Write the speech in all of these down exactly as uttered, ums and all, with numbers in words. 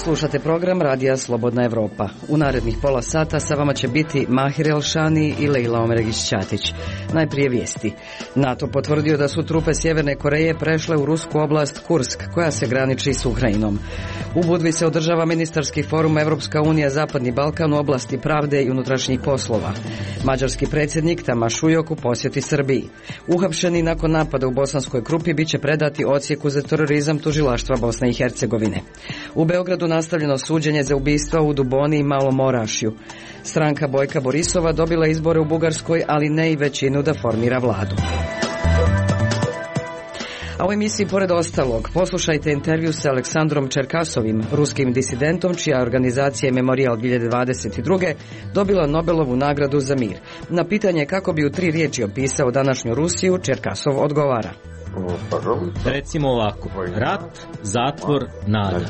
Slušate program Radija Slobodna Evropa. U narednih pola sata sa vama će biti Mahir Elšani i Lejla Omeregić-Ćatić. Najprije vijesti. NATO potvrdio da su trupe Sjeverne Koreje prešle u rusku oblast Kursk, koja se graniči s Ukrajinom. U Budvi se održava ministarski forum Evropska unija Zapadni Balkan u oblasti pravde i unutrašnjih poslova. Mađarski predsjednik Tamaš Ujok u posjeti Srbiji. Uhapšeni nakon napada u Bosanskoj Krupi biće predati odsjeku za terorizam tužilaštva Bosne i Hercegovine. U Beogradu nastavljeno suđenje za ubistva u Duboni i Malom Orašju. Stranka Bojka Borisova dobila izbore u Bugarskoj, ali ne i većinu da formira vladu. A u emisiji pored ostalog poslušajte intervju sa Aleksandrom Čerkasovim, ruskim disidentom čija organizacija Memorial dvije hiljade dvadeset druge dobila Nobelovu nagradu za mir. Na pitanje kako bi u tri riječi opisao današnju Rusiju, Čerkasov odgovara. Recimo ovako, rat, zatvor, nada.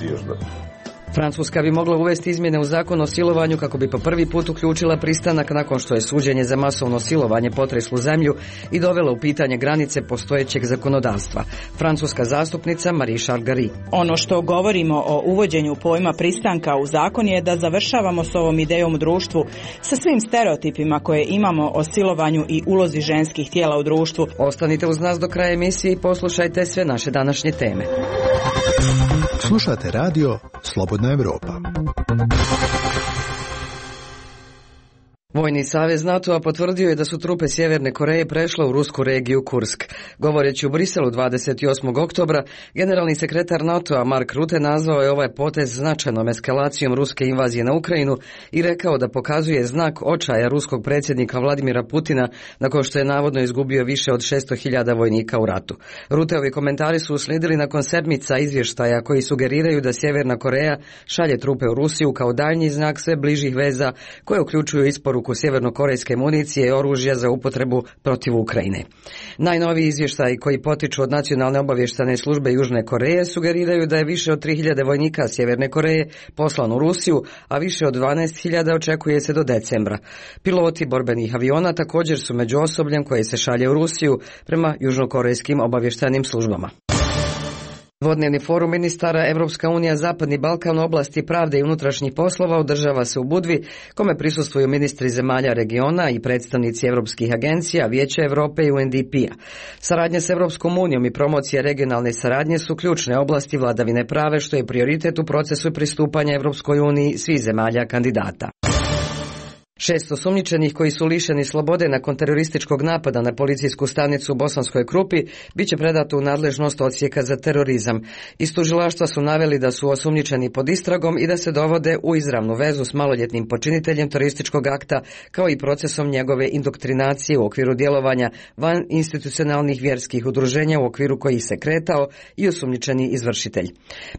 Francuska bi mogla uvesti izmjene u zakon o silovanju kako bi po prvi put uključila pristanak nakon što je suđenje za masovno silovanje potreslo zemlju i dovela u pitanje granice postojećeg zakonodavstva. Francuska zastupnica Marie Charles-Garry. Ono što govorimo o uvođenju pojma pristanka u zakon je da završavamo s ovom idejom u društvu, sa svim stereotipima koje imamo o silovanju i ulozi ženskih tijela u društvu. Ostanite uz nas do kraja emisije i poslušajte sve naše današnje teme. Slušate radio Slobodna Evropa. Vojni savez NATO-a potvrdio je da su trupe Sjeverne Koreje prešle u rusku regiju Kursk. Govoreći u Briselu dvadeset osmog oktobra, generalni sekretar NATO-a Mark Rutte nazvao je ovaj potez značajnom eskalacijom ruske invazije na Ukrajinu i rekao da pokazuje znak očaja ruskog predsjednika Vladimira Putina nakon što je navodno izgubio više od šesto hiljada vojnika u ratu. Rutteovi komentari su uslijedili nakon sedmica izvještaja koji sugeriraju da Sjeverna Koreja šalje trupe u Rusiju kao daljnji znak sve bližih veza koje uključuju isporuku sjevernokorejske municije i oružja za upotrebu protiv Ukrajine. Najnoviji izvještaji koji potiču od Nacionalne obavještajne službe Južne Koreje sugeriraju da je više od tri hiljade vojnika Sjeverne Koreje poslano u Rusiju, a više od dvanaest hiljada očekuje se do decembra. Piloti borbenih aviona također su među osobljem koje se šalje u Rusiju prema južnokorejskim obavještajnim službama. Dvodnevni forum ministara Evropska unija Zapadni Balkan u oblasti pravde i unutrašnjih poslova održava se u Budvi, kome prisustvuju ministri zemalja regiona i predstavnici evropskih agencija, Vijeća Europe i U N D P-a. Saradnja s Evropskom unijom i promocija regionalne saradnje su ključne oblasti vladavine prave, što je prioritet u procesu pristupanja Evropskoj uniji svih zemalja kandidata. Šest osumnjičenih koji su lišeni slobode nakon terorističkog napada na policijsku stanicu u Bosanskoj Krupi biće predato u nadležnost odsjeka za terorizam. Iz tužilaštva su naveli da su osumnjičeni pod istragom i da se dovode u izravnu vezu s maloljetnim počiniteljem terorističkog akta, kao i procesom njegove indoktrinacije u okviru djelovanja van institucionalnih vjerskih udruženja u okviru kojih se kretao i osumnjičeni izvršitelj.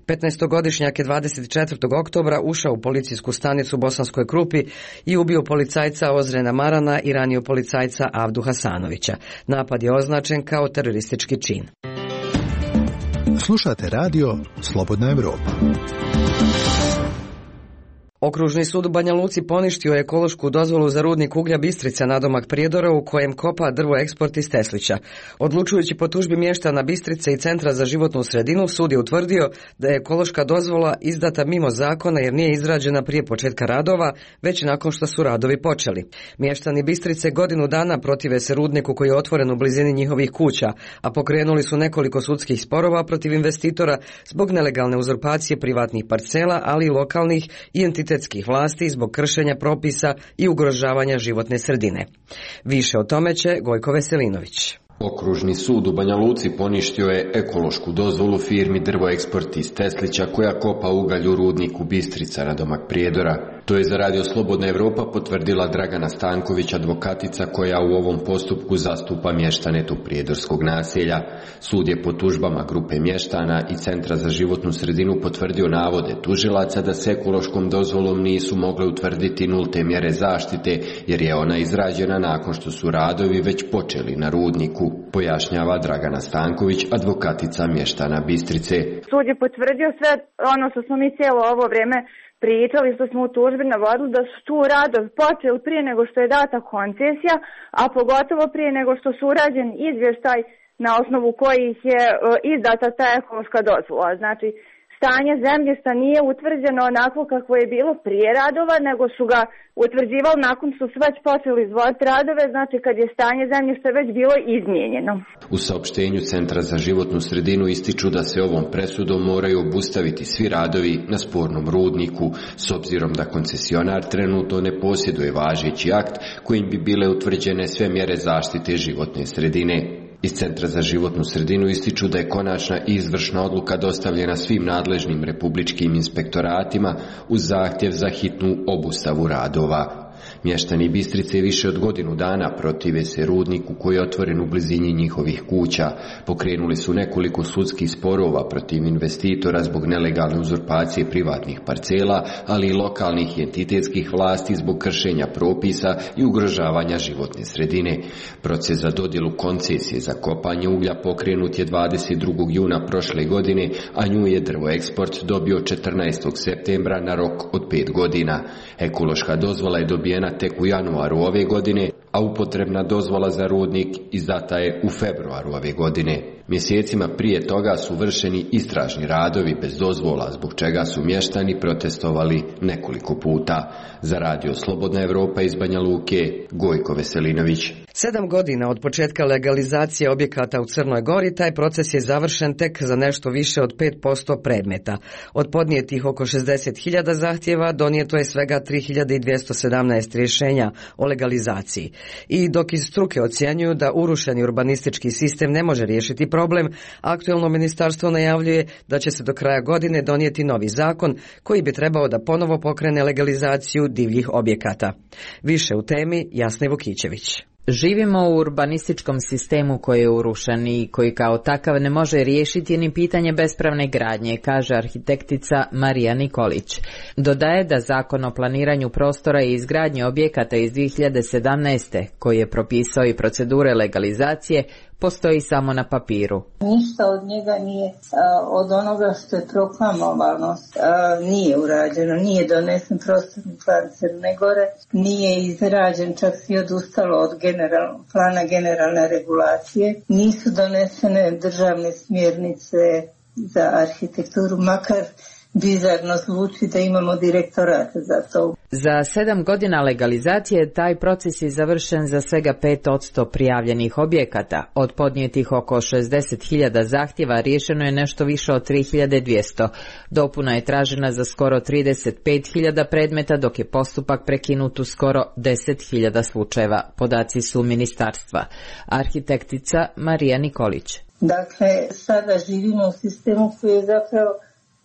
petnaestogodišnjak je dvadeset četvrtog oktobra ušao u policijsku stanicu u Bosanskoj Krupi i ubio policajca Ozrena Marana i ranio policajca Avdu Hasanovića. Napad je označen kao teroristički čin. Slušate radio Slobodna Evropa. Okružni sud u Banja Luci poništio je ekološku dozvolu za rudnik uglja Bistrica nadomak Prijedora u kojem kopa drvo eksport iz Teslića. Odlučujući po tužbi mještana Bistrice i Centra za životnu sredinu, sud je utvrdio da je ekološka dozvola izdata mimo zakona jer nije izrađena prije početka radova, već nakon što su radovi počeli. Mještani Bistrice godinu dana protive se rudniku koji je otvoren u blizini njihovih kuća, a pokrenuli su nekoliko sudskih sporova protiv investitora zbog nelegalne uzurpacije privatnih parcela, ali i lokalnih i entitetskih vlasti zbog kršenja propisa i ugrožavanja životne sredine. Više o tome će Gojko Veselinović. Okružni sud u Banja Luci poništio je ekološku dozvolu firmi Drvo eksport iz Teslića koja kopa ugalj u rudniku Bistrica nadomak Prijedora. To je za Radio Slobodna Evropa potvrdila Dragana Stanković, advokatica koja u ovom postupku zastupa mještane tu prijedorskog naselja. Sud je po tužbama grupe mještana i Centra za životnu sredinu potvrdio navode tužilaca da s ekološkom dozvolom nisu mogle utvrditi nulte mjere zaštite jer je ona izrađena nakon što su radovi već počeli na rudniku, pojašnjava Dragana Stanković, advokatica mještana Bistrice. Sud je potvrdio sve ono što smo mi cijelo ovo vrijeme pričali, što smo u tužbi navodili, da su tu radovi počeli prije nego što je data koncesija, a pogotovo prije nego što su urađen izvještaj na osnovu kojih je izdata ta ekološka dozvola. Znači, stanje zemljišta nije utvrđeno onako kako je bilo prije radova, nego su ga utvrđivali nakon što su već počeli izvoditi radove, znači kad je stanje zemljišta već bilo izmijenjeno. U saopštenju Centra za životnu sredinu ističu da se ovom presudom moraju obustaviti svi radovi na spornom rudniku, s obzirom da koncesionar trenutno ne posjeduje važeći akt kojim bi bile utvrđene sve mjere zaštite životne sredine. Iz Centra za životnu sredinu ističu da je konačna i izvršna odluka dostavljena svim nadležnim republičkim inspektoratima uz zahtjev za hitnu obustavu radova. Mještani Bistrice više od godinu dana protive se rudniku koji je otvoren u blizini njihovih kuća. Pokrenuli su nekoliko sudskih sporova protiv investitora zbog nelegalne uzurpacije privatnih parcela, ali i lokalnih i entitetskih vlasti zbog kršenja propisa i ugrožavanja životne sredine. Proces za dodjelu koncesije za kopanje uglja pokrenut je dvadeset drugog juna prošle godine, a nju je Drvoeksport dobio četrnaestog septembra na rok od pet godina. Ekološka dozvola je dobijena tek u januaru ove godine, a upotrebna dozvola za rudnik izdata je u februaru ove godine. Mjesecima prije toga su vršeni istražni radovi bez dozvola, zbog čega su mještani protestovali nekoliko puta. Za radio Slobodna Evropa iz Banja Luke, Gojko Veselinović. Sedam godina od početka legalizacije objekata u Crnoj Gori, taj proces je završen tek za nešto više od pet posto predmeta. Od podnijetih oko šezdeset hiljada zahtjeva donijeto je svega tri hiljade dvjesto sedamnaest rješenja o legalizaciji. I dok iz struke ocjenjuju da urušeni urbanistički sistem ne može riješiti problem, aktuelno ministarstvo najavljuje da će se do kraja godine donijeti novi zakon koji bi trebao da ponovo pokrene legalizaciju divljih objekata. Više u temi Jasne Vukićević. Živimo u urbanističkom sistemu koji je urušen i koji kao takav ne može riješiti ni pitanje bespravne gradnje, kaže arhitektica Marija Nikolić. Dodaje da Zakon o planiranju prostora i izgradnje objekata iz dvije hiljade sedamnaeste, koji je propisao i procedure legalizacije, postoji samo na papiru. Ništa od njega nije, od onoga što je proklamovano, nije urađeno, nije donesen prostorni plan Crne Gore, nije izrađen, čak svi odustalo od general, plana generalne regulacije, nisu donesene državne smjernice za arhitekturu, makar bizarno zvuči da imamo direktorat za to. Za sedam godina legalizacije taj proces je završen za svega pet posto prijavljenih objekata. Od podnijetih oko šezdeset hiljada zahtjeva riješeno je nešto više od tri hiljade dvjesto. Dopuna je tražena za skoro trideset pet hiljada predmeta, dok je postupak prekinut u skoro deset hiljada slučajeva. Podaci su ministarstva. Arhitektica Marija Nikolić. Dakle, sada živimo u sistemu koji je zapravo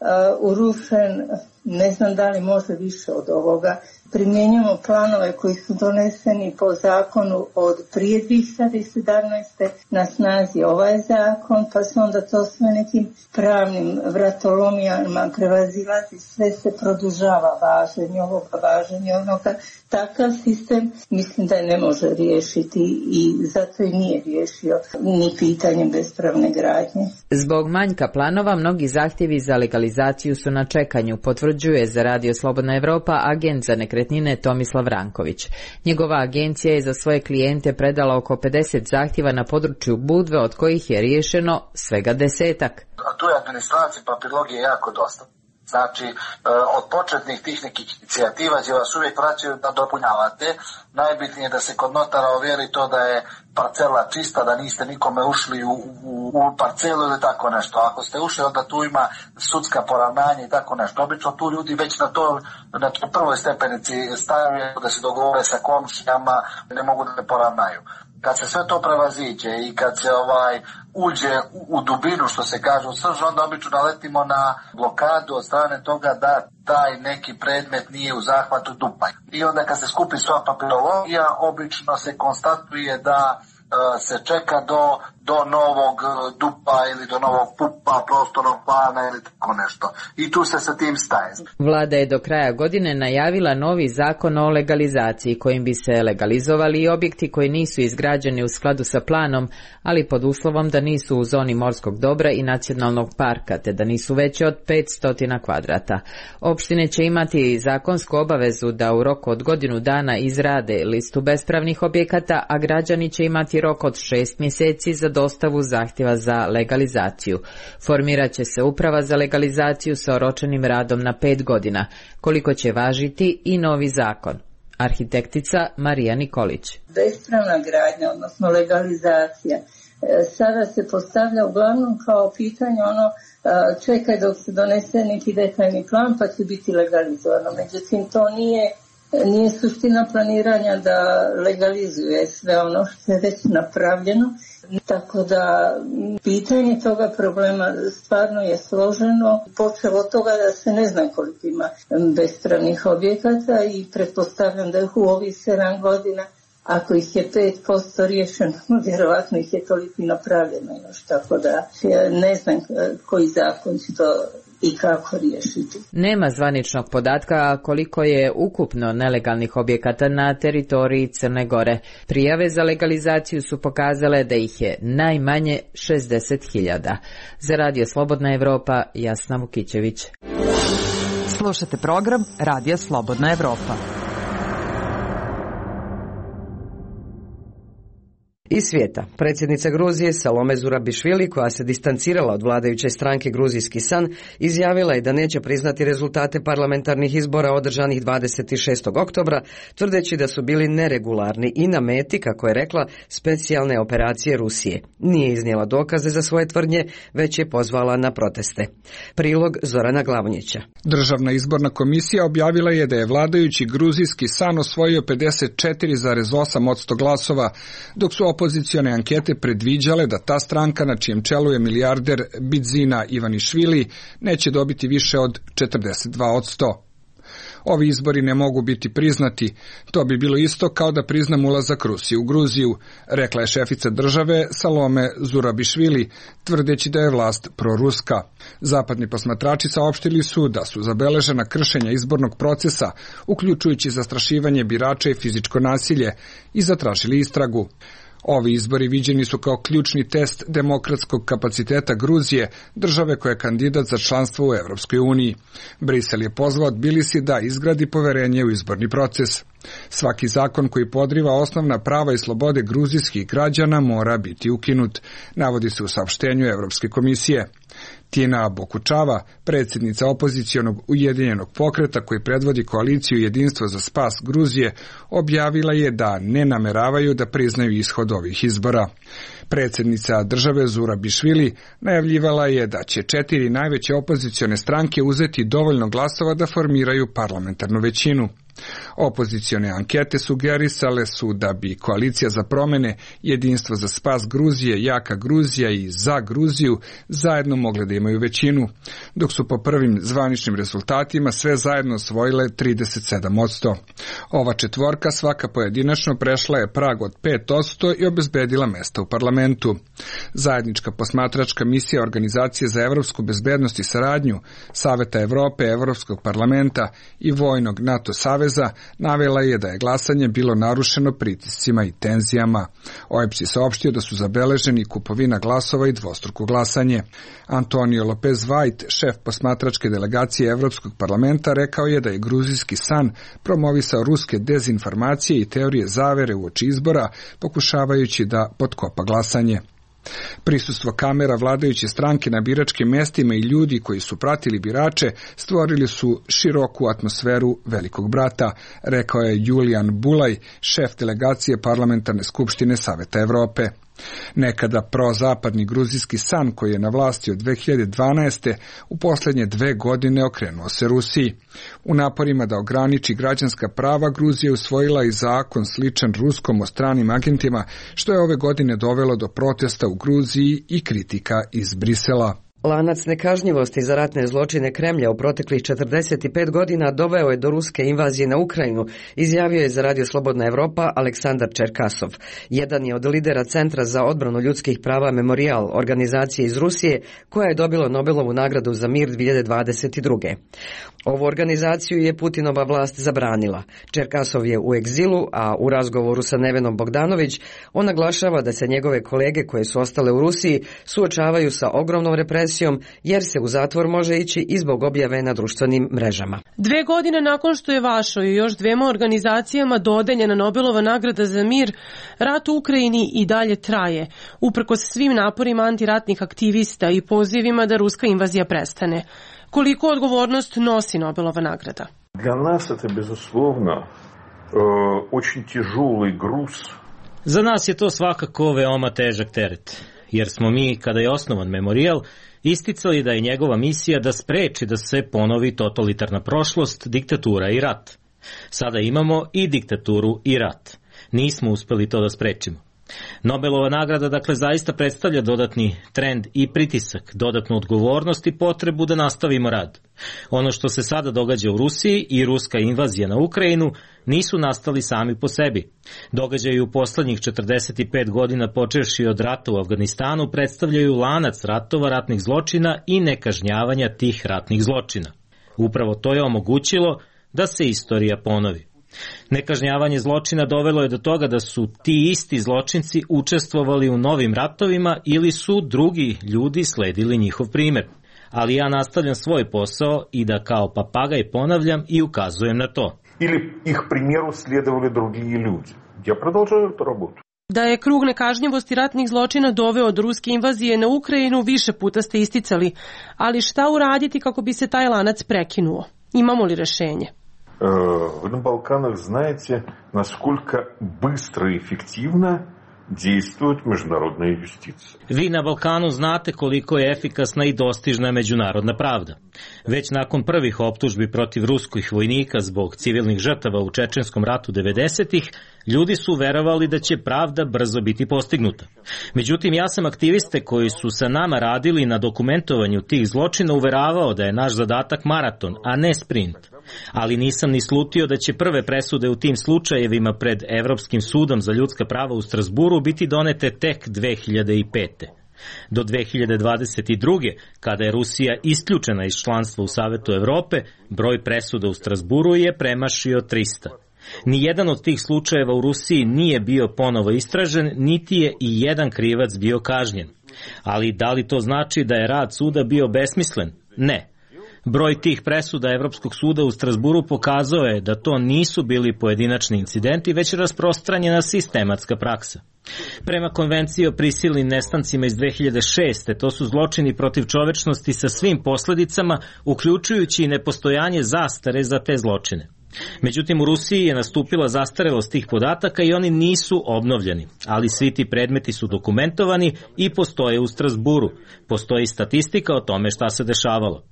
Uh, urušen, ne znam da li može više od ovoga. Primjenjujemo planove koji su doneseni po zakonu od prije dvije hiljade sedamnaeste. Na snazi ovaj zakon, pa se onda to sve nekim pravnim vratolomijama prevazilazi, sve se produžava važenje ovoga, važenje onoga. Takav sistem mislim da ne može riješiti i zato i nije riješio ni pitanje bespravne gradnje. Zbog manjka planova mnogi zahtjevi za legalizaciju su na čekanju, potvrđuje za radio Slobodna Evropa agent za nekretnine Tomislav Ranković. Njegova agencija je za svoje klijente predala oko pedeset zahtjeva na području Budve, od kojih je riješeno svega desetak. A tu je administracija, papirologije jako dosta. Znači, od početnih tih nekih inicijativa gdje vas uvijek vraćaju da dopunjavate, najbitnije je da se kod notara ovjeri to da je parcela čista, da niste nikome ušli u, u, u parcelu ili tako nešto. Ako ste ušli, onda tu ima sudska poravnanja i tako nešto. Obično tu ljudi već na to, na toj prvoj stepenici stavljaju da se dogovore sa komšijama, ne mogu da ne poravnaju. Kad se sve to prevaziđe i kad se ovaj uđe u, u dubinu, što se kaže, u srž, onda obično naletimo na blokadu od strane toga da taj neki predmet nije u zahvatu dupa. I onda kad se skupi sva papirologija, obično se konstatuje da se čeka do, do novog dupa ili do novog pupa, prostornog plana ili tako nešto. I tu se sa tim staje. Vlada je do kraja godine najavila novi zakon o legalizaciji kojim bi se legalizovali i objekti koji nisu izgrađeni u skladu sa planom, ali pod uslovom da nisu u zoni morskog dobra i nacionalnog parka, te da nisu veće od petsto kvadrata. Opštine će imati zakonsku obavezu da u roku od godinu dana izrade listu bespravnih objekata, a građani će imati rok od šest mjeseci za dostavu zahtjeva za legalizaciju. Formirat će se uprava za legalizaciju sa oročenim radom na pet godina, koliko će važiti i novi zakon. Arhitektica Marija Nikolić. Bespravna gradnja, odnosno legalizacija, sada se postavlja uglavnom kao pitanje ono čekaj dok se donese neki detaljni plan pa će biti legalizovano. Međutim, to nije, nije suština planiranja da legalizuje sve ono što je već napravljeno. Tako da pitanje toga problema stvarno je složeno. Počelo od toga da se ne zna koliko ima bespravnih objekata i pretpostavljam da je u ovih sedam godina, ako ih je pet posto riješeno, vjerovatno ih je toliko i napravljeno još, tako da ne znam koji zakon će to i kako riješiti. Nema zvaničnog podatka koliko je ukupno nelegalnih objekata na teritoriji Crne Gore. Prijave za legalizaciju su pokazale da ih je najmanje šezdeset hiljada. Za Radio Slobodna Evropa, Jasna Vukićević. Slušate program Radija Slobodna Evropa. Iz svijeta, predsjednica Gruzije Salome Zurabišvili, koja se distancirala od vladajuće stranke Gruzijski san, izjavila je da neće priznati rezultate parlamentarnih izbora održanih dvadeset šestog oktobra, tvrdeći da su bili neregularni i na meti, kako je rekla, specijalne operacije Rusije. Nije iznijela dokaze za svoje tvrdnje, već je pozvala na proteste. Prilog Zorana Glavnjića. Državna izborna komisija objavila je da je vladajući Gruzijski san osvojio pedeset četiri zarez osam posto glasova, dok su opozicione ankete predviđale da ta stranka na čijem čelu je milijarder Bidzina Ivanišvili neće dobiti više od četrdeset dva posto. Ovi izbori ne mogu biti priznati, to bi bilo isto kao da priznam ulazak Rusije u Gruziju, rekla je šefica države Salome Zurabišvili, tvrdeći da je vlast proruska. Zapadni posmatrači saopštili su da su zabeležena kršenja izbornog procesa, uključujući zastrašivanje birača i fizičko nasilje, i zatražili istragu. Ovi izbori viđeni su kao ključni test demokratskog kapaciteta Gruzije, države koja je kandidat za članstvo u Evropskoj uniji. Brisel je pozvao Tbilisi da izgradi poverenje u izborni proces. Svaki zakon koji podriva osnovna prava i slobode gruzijskih građana mora biti ukinut, navodi se u saopštenju Evropske komisije. Tina Bokučava, predsjednica opozicionog Ujedinjenog pokreta koji predvodi koaliciju Jedinstvo za spas Gruzije, objavila je da ne nameravaju da priznaju ishod ovih izbora. Predsjednica države Zurabišvili najavljivala je da će četiri najveće opozicione stranke uzeti dovoljno glasova da formiraju parlamentarnu većinu. Opozicione ankete sugerisale su da bi koalicija za promjene, Jedinstvo za spas Gruzije, Jaka Gruzija i Za Gruziju zajedno mogle da imaju većinu, dok su po prvim zvaničnim rezultatima sve zajedno osvojile trideset sedam posto. Ova četvorka svaka pojedinačno prešla je prag od pet posto i obezbedila mesta u parlamentu. Zajednička posmatračka misija Organizacije za evropsku bezbednost i saradnju, Saveta Evrope, Evropskog parlamenta i vojnog NATO saveza navela je da je glasanje bilo narušeno pritiscima i tenzijama. O E B S je saopštio da su zabeleženi kupovina glasova i dvostruko glasanje. Antonio Lopez White, šef posmatračke delegacije Evropskog parlamenta, rekao je da je gruzijski san promovisao ruske dezinformacije i teorije zavere uoči izbora, pokušavajući da potkopa glasanje. Prisustvo kamera vladajuće stranke na biračkim mestima i ljudi koji su pratili birače stvorili su široku atmosferu velikog brata, rekao je Julian Bulaj, šef delegacije Parlamentarne skupštine Saveta Evrope. Nekada prozapadni gruzijski san koji je na vlasti od dve hiljade dvanaeste. u posljednje dve godine okrenuo se Rusiji. U naporima da ograniči građanska prava, Gruzija je usvojila i zakon sličan ruskom o stranim agentima, što je ove godine dovelo do protesta u Gruziji i kritika iz Brisela. Lanac nekažnjivosti za ratne zločine Kremlja u proteklih četrdeset pet godina doveo je do ruske invazije na Ukrajinu, izjavio je za Radio Slobodna Evropa Aleksandar Čerkasov. Jedan je od lidera Centra za odbranu ljudskih prava Memorial, organizacije iz Rusije, koja je dobila Nobelovu nagradu za mir dvije hiljade dvadeset druge. Ovu organizaciju je Putinova vlast zabranila. Čerkasov je u egzilu, a u razgovoru sa Nevenom Bogdanović on naglašava da se njegove kolege koje su ostale u Rusiji suočavaju sa ogromnom represijom emisijom jer se u zatvor može ići i zbog objave na društvenim mrežama. Dve godine nakon što je vašoj i još dvema organizacijama dodeljena Nobelova nagrada za mir, rat u Ukrajini i dalje traje, uprkos svim naporima antiratnih aktivista i pozivima da ruska invazija prestane. Koliko odgovornost nosi Nobelova nagrada? Для нас это, безусловно, очень тяжелый груз. Za nas je to svakako veoma težak teret, jer smo mi, kada je osnovan memorijal, isticali da je njegova misija da spreči da se ponovi totalitarna prošlost, diktatura i rat. Sada imamo i diktaturu i rat. Nismo uspeli to da sprečimo. Nobelova nagrada dakle zaista predstavlja dodatni trend i pritisak, dodatnu odgovornost i potrebu da nastavimo rad. Ono što se sada događa u Rusiji i ruska invazija na Ukrajinu nisu nastali sami po sebi. Događaji u poslednjih četrdeset pet godina počevši od rata u Afganistanu predstavljaju lanac ratova, ratnih zločina i nekažnjavanja tih ratnih zločina. Upravo to je omogućilo da se istorija ponovi. Nekažnjavanje zločina dovelo je do toga da su ti isti zločinci učestvovali u novim ratovima ili su drugi ljudi sledili njihov primer. Ali ja nastavljam svoj posao i da kao papagaj ponavljam i ukazujem na to. Ili ih primjeru slijedovali drugi ljudi. Ja продолжаю tu работу. Da je krug nekažnjivosti ratnih zločina doveo od ruske invazije na Ukrajinu više puta ste isticali, ali šta uraditi kako bi se taj lanac prekinuo? Imamo li rešenje? Вы на Балканах знаете, насколько быстро и эффективно действует международная юстиция. Vi na Balkanu znate koliko je efikasna i dostižna međunarodna pravda. Već nakon prvih optužbi protiv ruskih vojnika zbog civilnih žrtava u Čečenskom ratu devedesetih, ljudi su verovali da će pravda brzo biti postignuta. Međutim, ja sam aktiviste koji su sa nama radili na dokumentovanju tih zločina uveravao da je naš zadatak maraton, a ne sprint. Ali nisam ni slutio da će prve presude u tim slučajevima pred Evropskim sudom za ljudska prava u Strasburu biti donete tek dve hiljade pete. Do dve hiljade dvadeset druge. kada je Rusija isključena iz članstva u Savetu Evrope, broj presuda u Strasburu je premašio trista. Nijedan od tih slučajeva u Rusiji nije bio ponovo istražen, niti je i jedan krivac bio kažnjen. Ali da li to znači da je rad suda bio besmislen? Ne. Broj tih presuda Evropskog suda u Strasburu pokazao je da to nisu bili pojedinačni incidenti, već rasprostranjena sistematska praksa. Prema konvenciji o prisilnim nestancima iz dve hiljade šeste. to su zločini protiv čovečnosti sa svim posledicama, uključujući i nepostojanje zastare za te zločine. Međutim, u Rusiji je nastupila zastarelost tih podataka i oni nisu obnovljeni, ali svi ti predmeti su dokumentovani i postoje u Strasburu. Postoji statistika o tome šta se dešavalo.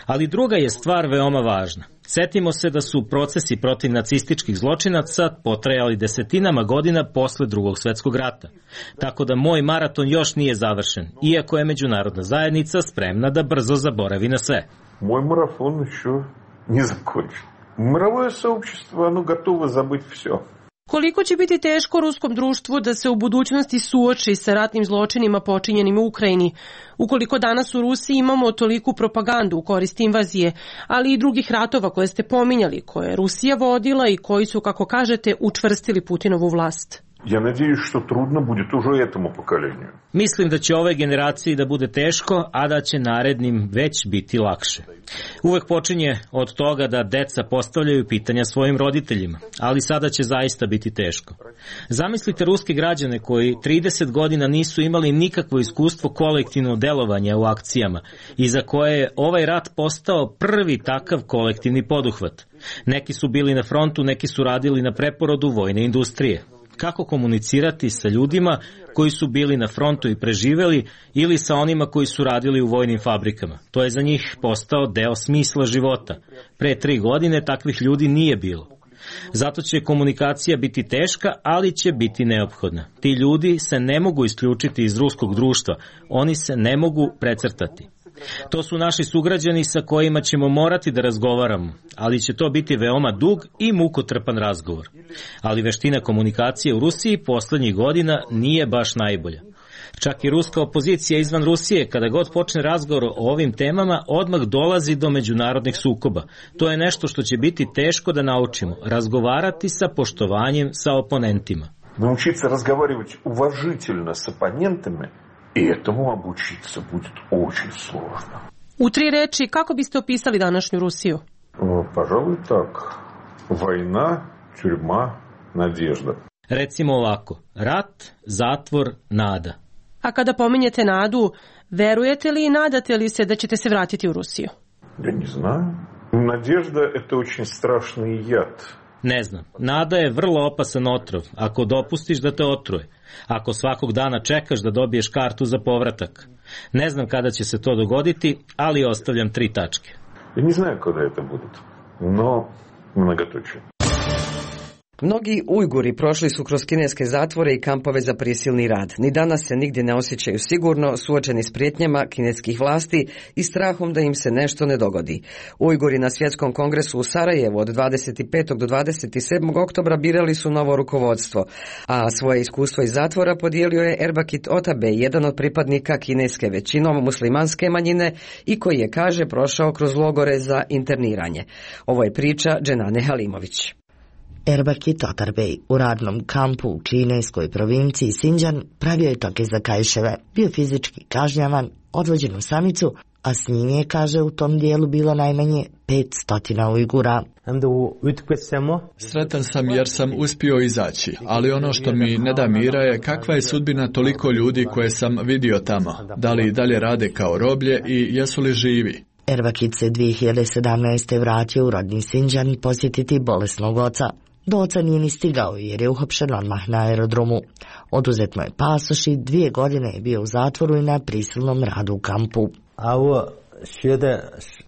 Ali druga je stvar veoma važna. Setimo se da su procesi protiv nacističkih zločinaca potrajali desetinama godina posle Drugog svetskog rata. Tako da moj maraton još nije završen, iako je međunarodna zajednica spremna da brzo zaboravi na sve. Moj maraton još nije zakončen. Мировое сообщество, оно готово забыть все. Koliko će biti teško ruskom društvu da se u budućnosti suoči sa ratnim zločinima počinjenim u Ukrajini, ukoliko danas u Rusiji imamo toliku propagandu u korist invazije, ali i drugih ratova koje ste pominjali, koje je Rusija vodila i koji su, kako kažete, učvrstili Putinovu vlast? Ja nadjeюсь, što trudno bude уже этому поколению. Mislim da će ove generaciji da bude teško, a da će narednim već biti lakše. Uvek počinje od toga da deca postavljaju pitanja svojim roditeljima, ali sada će zaista biti teško. Zamislite ruske građane koji trideset godina nisu imali nikakvo iskustvo kolektivnog delovanja u akcijama i za koje je ovaj rat postao prvi takav kolektivni poduhvat. Neki su bili na frontu, neki su radili na preporodu vojne industrije. Kako komunicirati sa ljudima koji su bili na frontu i preživeli ili sa onima koji su radili u vojnim fabrikama? To je za njih postao deo smisla života. Pre tri godine takvih ljudi nije bilo. Zato će komunikacija biti teška, ali će biti neophodna. Ti ljudi se ne mogu isključiti iz ruskog društva, oni se ne mogu precrtati. To su naši sugrađani sa kojima ćemo morati da razgovaramo, ali će to biti veoma dug i mukotrpan razgovor. Ali veština komunikacije u Rusiji poslednjih godina nije baš najbolja. Čak i ruska opozicija izvan Rusije, kada god počne razgovor o ovim temama, odmah dolazi do međunarodnih sukoba. To je nešto što će biti teško da naučimo, razgovarati sa poštovanjem sa oponentima. Naučiti se razgovarati uvažiteljno s oponentama И этому обучиться будет очень сложно. U tri reči, kako biste opisali današnju Rusiju? Пожалуй, так. Война, тюрьма, надежда. Recimo ovako, rat, zatvor, nada. A kada pominjete nadu, verujete li i nadate li se da ćete se vratiti u Rusiju? Я не знаю. Надежда – это очень страшный яд. Ne znam, nada je vrlo opasan otrov, ako dopustiš da te otruje, ako svakog dana čekaš da dobiješ kartu za povratak. Ne znam kada će se to dogoditi, ali ostavljam tri tačke. Я не знаю, когда это будет, но многоточие. Mnogi Ujguri prošli su kroz kineske zatvore i kampove za prisilni rad. Ni danas se nigdje ne osjećaju sigurno, suočeni s prijetnjama kineskih vlasti i strahom da im se nešto ne dogodi. Ujguri na Svjetskom kongresu u Sarajevu od dvadeset petog do dvadeset sedmog oktobra birali su novo rukovodstvo, a svoje iskustvo iz zatvora podijelio je Erbakit Otabej, jedan od pripadnika kineske većinom muslimanske manjine i koji je, kaže, prošao kroz logore za interniranje. Ovo je priča Dženane Halimović. Erbakit Otabej u radnom kampu u kineskoj provinciji Sinđan pravio je toke za kajševe, bio fizički kažnjavan, odvođen u samicu, a s njim je, kaže, u tom dijelu bilo najmanje pet stotina Ujgura. Sretan sam jer sam uspio izaći, ali ono što mi ne da mira je kakva je sudbina toliko ljudi koje sam vidio tamo, da li i dalje rade kao roblje i jesu li živi. Erbakit se dvije hiljade sedamnaeste. vratio u rodni Sinđan posjetiti bolesnog oca. Do oca nije ni stigao jer je uhapšen odmah na aerodromu. Oduzet mu je pasoš i dvije godine je bio u zatvoru i na prisilnom radu u kampu.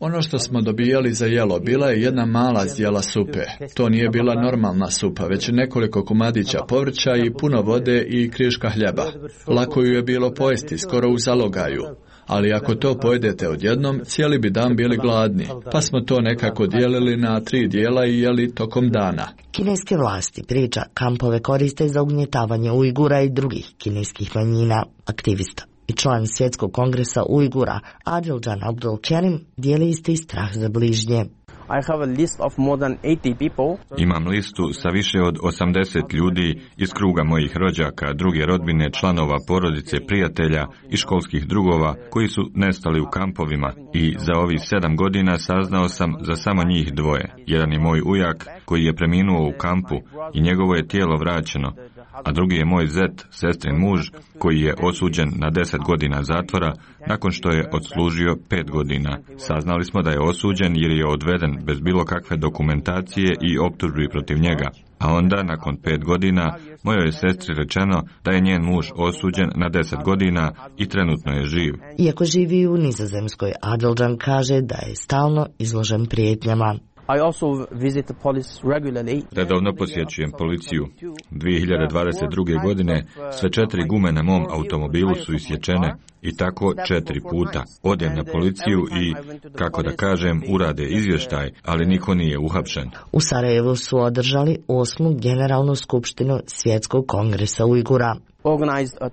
Ono što smo dobijali za jelo bila je jedna mala zdjela supe. To nije bila normalna supa, već nekoliko komadića povrća i puno vode i kriška hljeba. Lako ju je bilo pojesti, skoro u zalogaju. Ali ako to pojedete odjednom, cijeli bi dan bili gladni, pa smo to nekako dijelili na tri dijela i jeli tokom dana. Kineske vlasti, priča, kampove koriste za ugnjetavanje Ujgura i drugih kineskih manjina. Aktivista i član Svjetskog kongresa Ujgura Adiljan Abdulkerim dijeli isti strah za bližnje. Imam listu sa više od osamdeset ljudi iz kruga mojih rođaka, druge rodbine, članova porodice, prijatelja i školskih drugova koji su nestali u kampovima i za ovih sedam godina saznao sam za samo njih dvoje. Jedan je moj ujak koji je preminuo u kampu i njegovo je tijelo vraćeno, a drugi je moj zet, sestrin muž, koji je osuđen na deset godina zatvora nakon što je odslužio pet godina. Saznali smo da je osuđen jer je odveden bez bilo kakve dokumentacije i optužbi protiv njega. A onda, nakon pet godina, mojoj je sestri rečeno da je njen muž osuđen na deset godina i trenutno je živ. Iako živi u Nizozemskoj, Adiljan kaže da je stalno izložen prijetnjama. Redovno posjećujem policiju. dvije hiljade dvadeset druge. godine sve četiri gume na mom automobilu su isječene i tako četiri puta. Odem na policiju i, kako da kažem, urade izvještaj, ali niko nije uhapšen. U Sarajevu su održali osmu generalnu skupštinu Svjetskog kongresa Ujgura.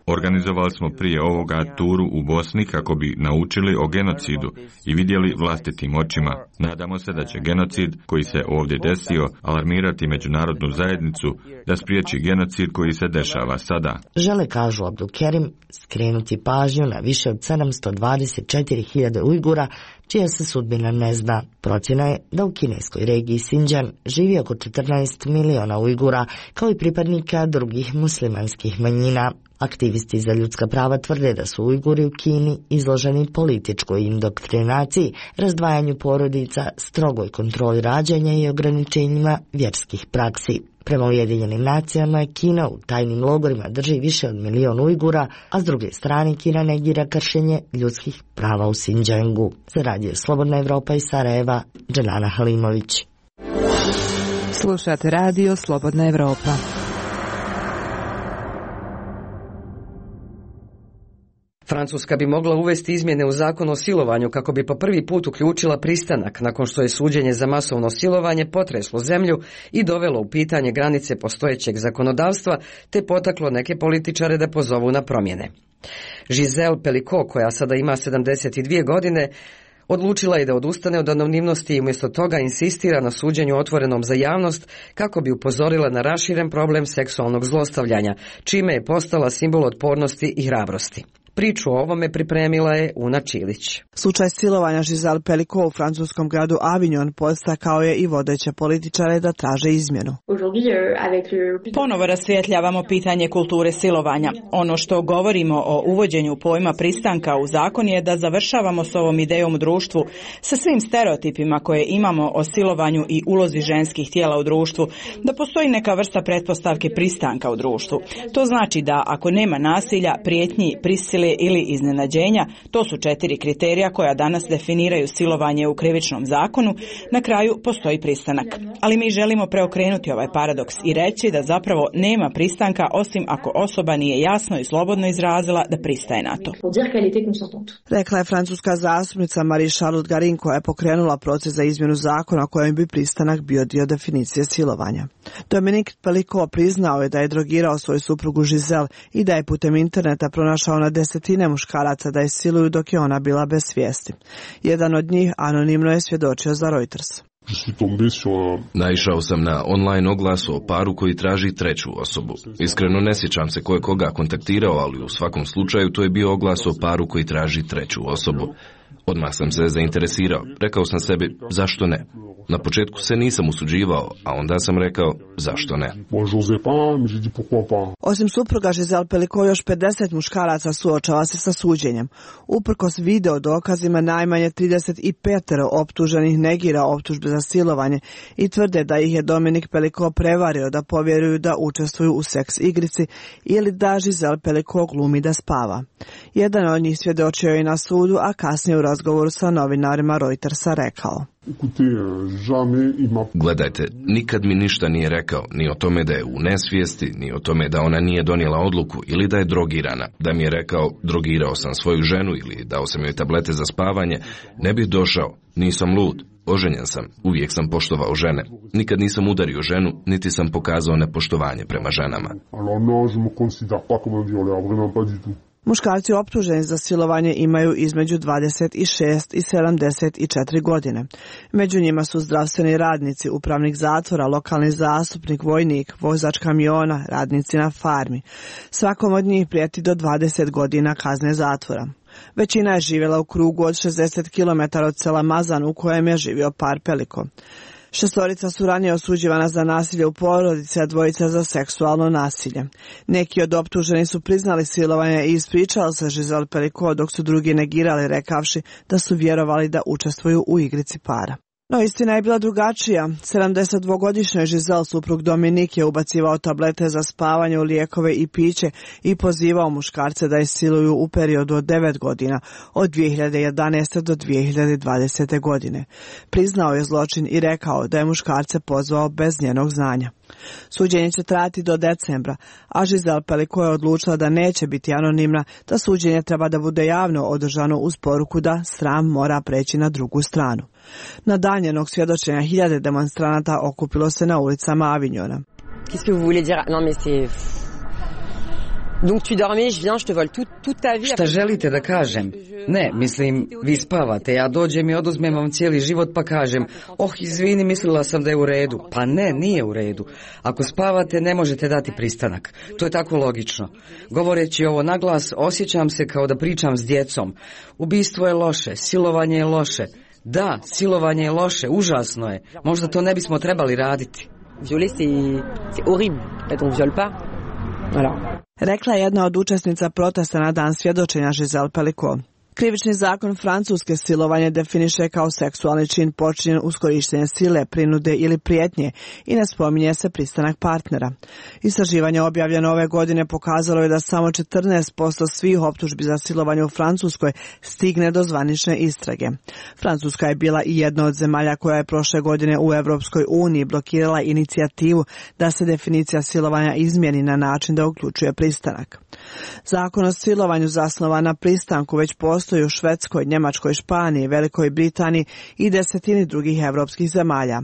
Organizovali smo prije ovoga turu u Bosni kako bi naučili o genocidu i vidjeli vlastitim očima. Nadamo se da će genocid koji se ovdje desio alarmirati međunarodnu zajednicu da spriječi genocid koji se dešava sada. Žele, kažu Abdulkerim, skrenuti pažnju na više od sedamsto dvadeset četiri hiljade Ujgura čija se sudbina ne zna. Procjena je da u kineskoj regiji Sinđan živi oko četrnaest miliona Ujgura, kao i pripadnika drugih muslimanskih manjina. Aktivisti za ljudska prava tvrde da su Ujguri u Kini izloženi političkoj indoktrinaciji, razdvajanju porodica, strogoj kontroli rađanja i ograničenjima vjerskih praksi. Prema Ujedinjenim nacijama, Kina u tajnim logorima drži više od milion Ujgura, a s druge strane Kina negira kršenje ljudskih prava u Sinđangu. Za radio Slobodna Evropa iz Sarajeva, Dženana Halimović. Slušate radio Slobodna Evropa. Francuska bi mogla uvesti izmjene u zakon o silovanju kako bi po prvi put uključila pristanak nakon što je suđenje za masovno silovanje potreslo zemlju i dovelo u pitanje granice postojećeg zakonodavstva te potaklo neke političare da pozovu na promjene. Giselle Pelicot, koja sada ima sedamdeset dvije godine, odlučila je da odustane od anonimnosti i umjesto toga insistira na suđenju otvorenom za javnost kako bi upozorila na raširen problem seksualnog zlostavljanja, čime je postala simbol otpornosti i hrabrosti. Priču o ovome pripremila je Una Čilić. Slučaj silovanja Giselle Pelicot u francuskom gradu Avignon podstakao je i vodeće političare da traže izmjenu. Ponovo rasvjetljavamo pitanje kulture silovanja. Ono što govorimo o uvođenju pojma pristanka u zakon je da završavamo s ovom idejom u društvu, sa svim stereotipima koje imamo o silovanju i ulozi ženskih tijela u društvu, da postoji neka vrsta pretpostavke pristanka u društvu. To znači da ako nema nasilja, prijetnji, prisile ili iznenađenja, to su četiri kriterija koja danas definiraju silovanje u krivičnom zakonu, na kraju postoji pristanak. Ali mi želimo preokrenuti ovaj paradoks i reći da zapravo nema pristanka osim ako osoba nije jasno i slobodno izrazila da pristaje na to. Rekla je francuska zastupnica Marie-Charlotte Garin koja je pokrenula proces za izmjenu zakona kojim bi pristanak bio dio definicije silovanja. Dominique Pelicot priznao je da je drogirao svoju suprugu Giselle i da je putem interneta pronašao na desetine muškaraca da je siluju dok je ona bila bez svijesti. Jedan od njih anonimno je svjedočio za Reuters. Naišao sam na online oglas o paru koji traži treću osobu. Iskreno ne sjećam se ko je koga kontaktirao, ali u svakom slučaju to je bio oglas o paru koji traži treću osobu. Odmah sam se zainteresirao. Rekao sam sebi, zašto ne? Na početku se nisam usuđivao, a onda sam rekao, zašto ne? Osim supruga Giselle Pelicot, još pedeset muškaraca suočava se sa suđenjem. Uprkos video dokazima, najmanje trideset pet optuženih negira optužbe za silovanje i tvrde da ih je Dominique Pelicot prevario da povjeruju da učestvuju u seks igrici ili da Giselle Pelicot glumi da spava. Jedan od njih svjedočio je na sudu, a kasnije u razgovoru sa novinarima Reutersa rekao. Gledajte, nikad mi ništa nije rekao, ni o tome da je u nesvijesti, ni o tome da ona nije donijela odluku ili da je drogirana. Da mi je rekao, drogirao sam svoju ženu ili dao sam joj tablete za spavanje, ne bih došao, nisam lud. Oženjen sam, uvijek sam poštovao žene. Nikad nisam udario ženu, niti sam pokazao nepoštovanje prema ženama. Muškarci optuženi za silovanje imaju između dvadeset šest i sedamdeset četiri godine. Među njima su zdravstveni radnici, upravnik zatvora, lokalni zastupnik, vojnik, vozač kamiona, radnici na farmi. Svakom od njih prijeti do dvadeset godina kazne zatvora. Većina je živjela u krugu od šezdeset kilometara od sela Mazan u kojem je živio par Pelicot. Šestorica su ranije osuđivana za nasilje u porodici, a dvojica za seksualno nasilje. Neki od optuženih su priznali silovanje i ispričali se Giselle Pelicot, dok su drugi negirali rekavši da su vjerovali da učestvuju u igrici para. No istina je bila drugačija. sedamdesetdvogodišnji Giselle suprug Dominik je ubacivao tablete za spavanje u lijekove i piće i pozivao muškarce da je siluju u periodu od devet godina, od dvije hiljade jedanaeste do dvije hiljade dvadesete godine. Priznao je zločin i rekao da je muškarce pozvao bez njenog znanja. Suđenje će trajati do decembra, a Giselle Pelicot je odlučila da neće biti anonimna, da suđenje treba da bude javno održano uz poruku da sram mora preći na drugu stranu. Na dan njenog svjedočenja hiljade demonstranata okupilo se na ulicama Avignona. Qu'est-ce que vous voulez dire? Non mais c'est Donc tu dormais, je viens, je te vole toute toute ta vie. Šta želite da kažem? Ne, mislim, vi spavate, ja dođem i oduzmem vam cijeli život pa kažem, oh, izvini, mislila sam da je u redu. Pa ne, nije u redu. Ako spavate, ne možete dati pristanak. To je tako logično. Govoreći ovo naglas, osjećam se kao da pričam s djecom. Ubistvo je loše, silovanje je loše. Da, silovanje je loše, užasno je. Možda to ne bismo trebali raditi. Violer, c'est c'est horrible. Quand on viole pas. Voilà. Rekla je jedna od učesnica protesta na dan svjedočenja Giselle Pelicot. Krivični zakon Francuske silovanje definiše kao seksualni čin počinjen uz korištenje sile, prinude ili prijetnje i ne spominje se pristanak partnera. Istraživanje objavljeno ove godine pokazalo je da samo četrnaest posto svih optužbi za silovanje u Francuskoj stigne do zvanične istrage. Francuska je bila i jedna od zemalja koja je prošle godine u Europskoj uniji blokirala inicijativu da se definicija silovanja izmjeni na način da uključuje pristanak. Zakon o silovanju zasnovan na pristanku već postoji u Švedskoj, Njemačkoj, Španiji, Velikoj Britaniji i desetini drugih europskih zemalja.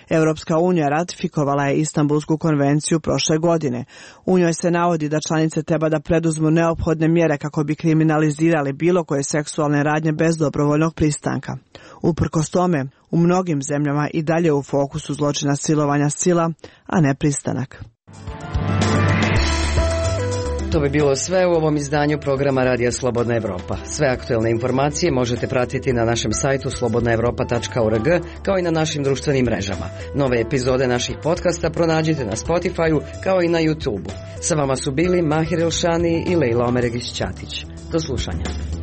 Europska unija ratifikovala je Istanbulsku konvenciju prošle godine. U njoj se navodi da članice treba da preduzmu neophodne mjere kako bi kriminalizirali bilo koje seksualne radnje bez dobrovoljnog pristanka. Uprkos tome, u mnogim zemljama i dalje u fokusu zločina silovanja sila, a ne pristanak. To bi bilo sve u ovom izdanju programa Radija Slobodna Evropa. Sve aktuelne informacije možete pratiti na našem sajtu slobodna evropa tačka org kao i na našim društvenim mrežama. Nove epizode naših podcasta pronađite na Spotify-u kao i na YouTube-u. Sa vama su bili Mahir Elšani i Lejla Omeregić-Ćatić. Do slušanja.